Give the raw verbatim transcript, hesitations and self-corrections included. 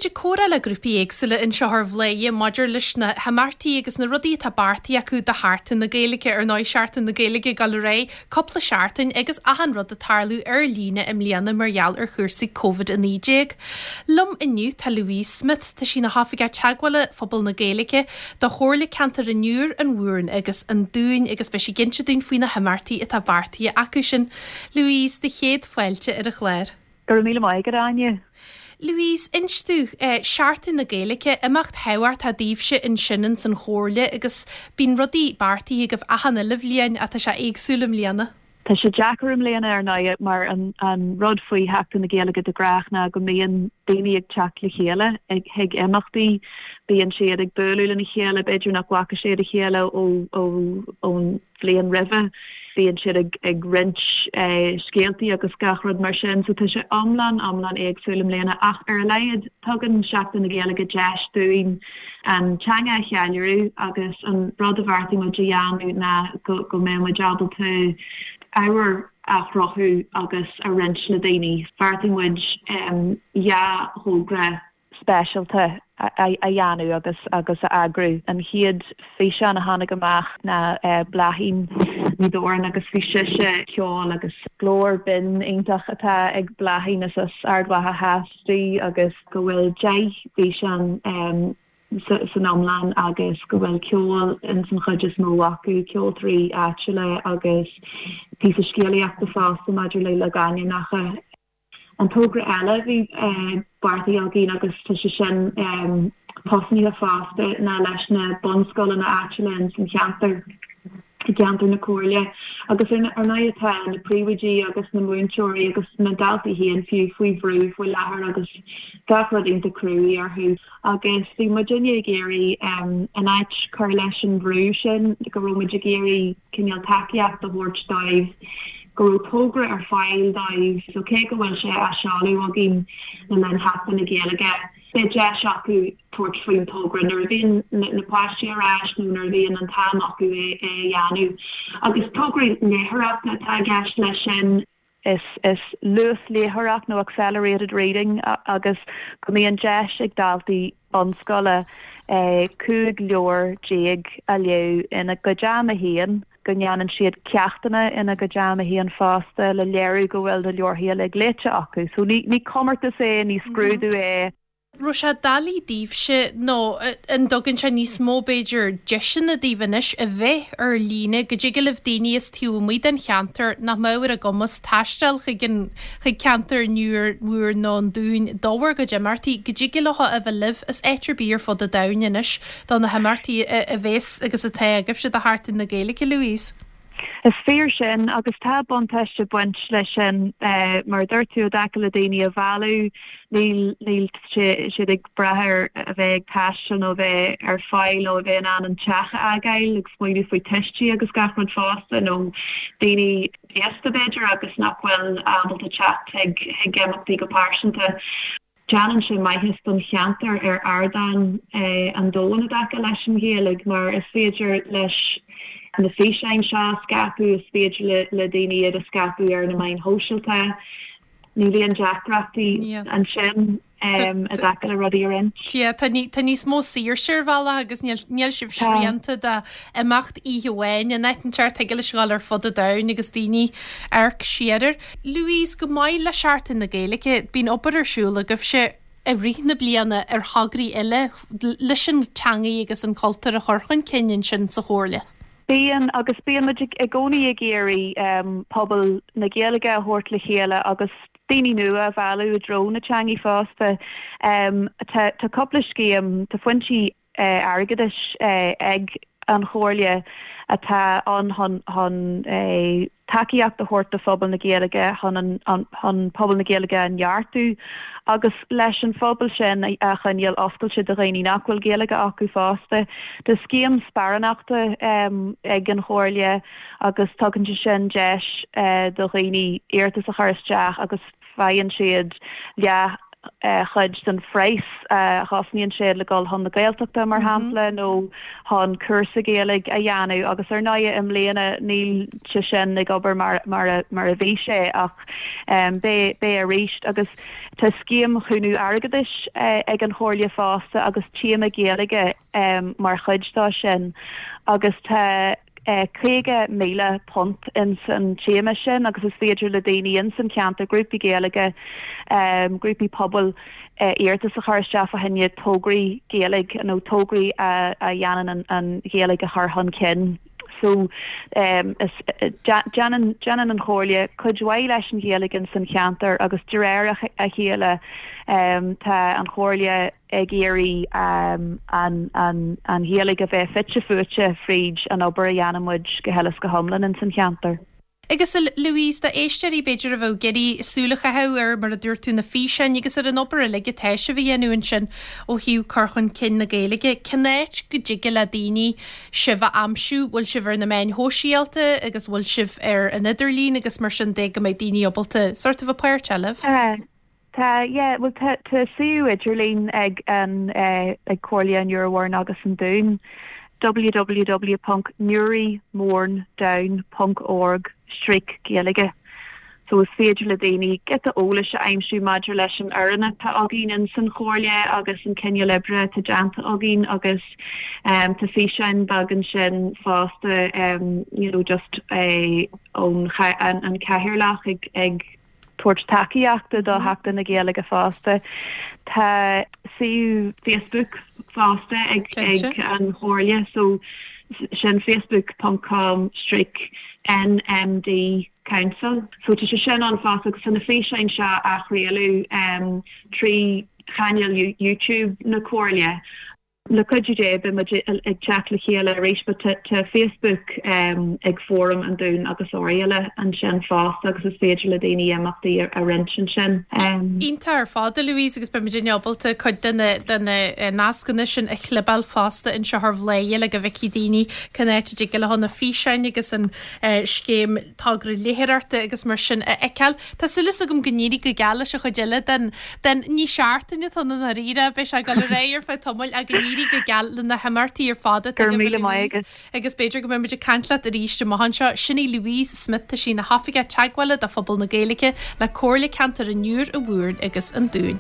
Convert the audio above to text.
muid ag comhrá le grúpaí éagsúla anseo ar Bhladhaire maidir leis na himeachtaí agus na rudaí atá beartaithe acu do Sheachtain na Gaeilge ar ndóigh Seachtain na Gaeilge ag dul ar aghaidh cúpla seachtain agus achan rud ag tarlú ar líne i mbliana mar gheall ar chúrsaí Covid a naoi déag. Liom inniu tá Louise Smith tá sí ina hOifigeach Teagmhála Phobal na Gaeilge do Chomhairle Ceantair an Iúir, an Mhúrn agus an Dúin agus beidh sí ag inse dúinn faoi na himeachtaí atá beartaithe acu sin. Louise, do chéad fáilte ar an chlár. Go raibh míle maith agat Áine. Louise, inis dúinn eh, Seachtain na Gaeilge imeacht thábhachtach daoibhse ansin ins an chomhairle agus bíonn rudaí beartaithe agaibh achan uile bhliain atá sé éagsúil i mbliana. Tá sé deacair i mbliana ar ndóigh mar an, an rud faoi Sheachtain na Gaeilge de ghnáth ná go mbíonn daoine ag teacht le chéile ag chuig imeachtaí, bíonn siad ag bualadh lena chéile, b'fhéidir nach bhfaca siad a chéile ó ón bhliain roimhe. Bíonn siad ag, ag roinnt eh, scéaltaí agus gach rud mar sin, so tá sé iomlán iomlán éagsúil i mbliana ach ar a laghad tugann Seachtain na Gaeilge deis dúinn an teanga a cheiliúradh agus an rud a bheartaigh muid a dhéanamh ná go, go mbeidh muid ábalta ábhar a chruthú agus a roinnt le daoine. Bheartaigh muid um, dhá thogra speisialta a, a, a dhéanamh agus agus a eagrú. An chéad físeán a tháinig amach ná uh, Bláithín Ní Dhoireann agus bhí sise ceol agus glór binn iontach atá ag Bláithín is as Ard Mhacha Theas di agus go bhfuil deich bhfíseán um, san iomlán agus go bhfuil ceol in san chuid is mó acu ceoltóirí áitiúla agus píosa scéalaíochta fosta maidir le logainmneacha. An togra eile bhí uh, beartaithe againn agus tá sé sin um, tosnaithe fosta ná leis na bunscoileanna áitiúla in san cheantar i gceantar na comhairle agus ar ndóigh tá na príomhoidí agus na múinteoirí agus na daltaí féin fiú faoi bhrú faoi láthair agus gach rud iontach cruaidh orthu agus bhí muidinne ag iarraidh um, an áit cur leis an bhrú sin go raibh muid ag iarraidh cineál tacaíocht a thabhairt dóibh go raibh togra ar fáil dóibh so cé go bhfuil sé á seoladh againn le linn Sheachtain na Gaeilge beidh deis acu tabhairt faoin togra nuair a bhíonn na páistí ar ais nó nuair a bhíonn an t-am acu é é dhéanamh. Agus tograí léitheoireachta atá i gceist leis sin is is luasléitheoireacht nó accelerated reading agus go mbíonn deis ag daltaí bunscoile eh, cúig leabhar déag a léamh ina gcuid ama féin go ndéanann siad ceachtanna ina gcuid ama féin fosta le léiriú go bhfuil na leabharthaí uilig léite acu. So ní ní comórtas é ní scrúdú é. Raibh sé doiligh daoibhse nó an dtugann sé níos mó b'fhéidir deiseanna daoibh anois a bheith ar líne go dtig libh daoine is taobh amuigh den cheantar nach mbeadh ar a gcumas taisteal chuig an chuig ceantar an Iúir Mhúrn nó an Dúin d'ábhar go imeachtaí go dtig leo a bheith libh as áit ar bith ar fud an domhain anois do na himeachtaí a bheas agus atá agaibhse do Sheachtain na Gaeilge Louise. Is fíor sin agus tá buntáiste baint leis sin uh, mar dúirt tú dtaca le daoine a mhealladh níl níl siad ag brath ar a bheith ag taisteal nó bheith ar fáil nó a bheith in ann an teach a fhágáil ag smaoineamh faoi tuistí agus gach rud fosta nó daoine aosta b'fhéidir agus nach bhfuil ábalta teacht ag ag imeachtaí go pearsanta. Déanann sé maitheas don cheantar ar ardán eh, an domhain i dtaca leis an Ghaeilge mar is féidir leis na físeáin seo scaipeadh is féidir le, le daoine iad a scaipeadh ar na meáin shóisialta. Ní bhíonn deacrachtaí ansin um, i dtaca le rudaí a roinnt. Tá tá níos mó saoirse ar bhealach agus níl sibh srianta de imeacht oíche amháin in áit an teart ag leis gáil ar fud an domhain agus daoine amharc siar air. Louise go maith le Seachtain na Gaeilge bíonn obair ar siúl agaibhse i rith na bliana ar thograí eile leis an teanga agus an cultúr a chur chun cinn ansin sa chomhairle. Bíonn agus bíonn muid i gcónaí ag iarraidh um, pobal na Gaeilge a thabhairt le chéile agus daoine nua a mhealladh i dtreo na teanga fosta. Um, tá tá cúpla scéim tá foinsí uh, airgeadais uh, ag an chomhairle atá an chun chun eh, tacaíocht a thabhairt do phobal na Gaeilge chun an pobal na Gaeilge a neartú agus leis an phobal sin a choinneáil oscailte do dhaoine nach bhfuil Gaeilge acu fosta. Tá scéim sparánachta um, ag an chomhairle agus tugann sé sin deis uh, do dhaoine iarratas a chur isteach agus faigheann siad leath chuid den phraghas a chosnaíonn sé le dul chun na Gaeltachta mar shampla nó chun cúrsa Gaeilge a dhéanamh agus ar ndóigh i mbliana níl sé sin ag obair mar mar a mar a bhí sé ach beidh beidh arís agus tá scéim chúnamh airgeadais ag an Chomhairle fosta agus téama Gaeilge mar chuid dá sin agus tá caoga míle punt in san téama sin agus is féidir le daoine in san ceantar grúpaí Gaeilge grúpaí pobail iarratas a chur isteach fá choinne tograí Gaeilge nó tograí a dhéanann an Ghaeilge a chur chun cinn. So um, déanann déanann an Chomhairle cuid mhaith leis an Ghaeilge in san cheantar agus de réir a chéile um, tá an Chomhairle ag iarraidh um, an, an, an Ghaeilge a bheith fite fuaite fríd an obair a dhéanann muid go huile is go hiomlán in san cheantar. Agus Louise d'éisteoirí b'fhéidir a bheadh ag iarraidh súil a chaitheamh ar mar a dúirt tú na físeáin agus ar an obair uilig atá sibh a dhéanamh ansin ó thaobh cur chun cinn na Gaeilge. Cén áit go dtig le daoine sibh a aimsiú, bhfuil sibh ar na meáin shóisialta agus bhfuil sibh ar an idirlíon agus mar sin de go mbeidh daoine ábalta sort of a páirt eileh. Tá yeah, well tá tá suíomh idirlín ag an uh, ag Comhairle an Iúir Mhúrn agus an Dúin www.newrymournedown.org stríoc Gaeilge. So is féidir le daoine giota eolais a aimsiú maidir leis an fhoireann atá againn in san chomhairle agus an cineál oibre atá déanta againn agus um, tá físeáin beag ansin fosta um, you know, just eh, ón an, an cathaoirleach ag, ag tabhairt tacaíochta do Sheachtain na Gaeilge fosta. Tá suíomh Facebook fosta ag, ag an Chomhairle so sin facebook.com stríoc NMD Council. So tá sé sin ann fosta agus na físeáin seo á chraoladh um, trí chainéal YouTube na Comhairle. Le cuidiú Dé beidh muid ag teacht le chéile arís tá Facebook um, ag Fóram an Dúin agus Oirialla ansin fosta agus is féidir le daoine imeachtaí a roinnt ansin. Um, Iontach ar fad Louise agus beidh muid ábalta cuid de na eh, nascanna sin a chlibeáil fosta anseo ar Bhladhaire le go bhfeicfidh daoine cén áit a dtig leo na físeáin agus an eh, scéim togra léitheoireachta agus mar sin a fheiceáil. Tá súil agam go n-éirí go geal leis an chuid eile den den ní seachtain atá na ríre be sé go réir ar feadh tamaill ag go n-éirí go geal le na himeachtaí ar fad míle maith agus b'fhéidir go mbeidh muid ag caint leat arís amach anseo sin í Louise Smith tá sí ina hOifigeach Teagmhála do phobal na Gaeilge le Comhairle Ceantar an Iúir an Mhúrn agus an Dúin.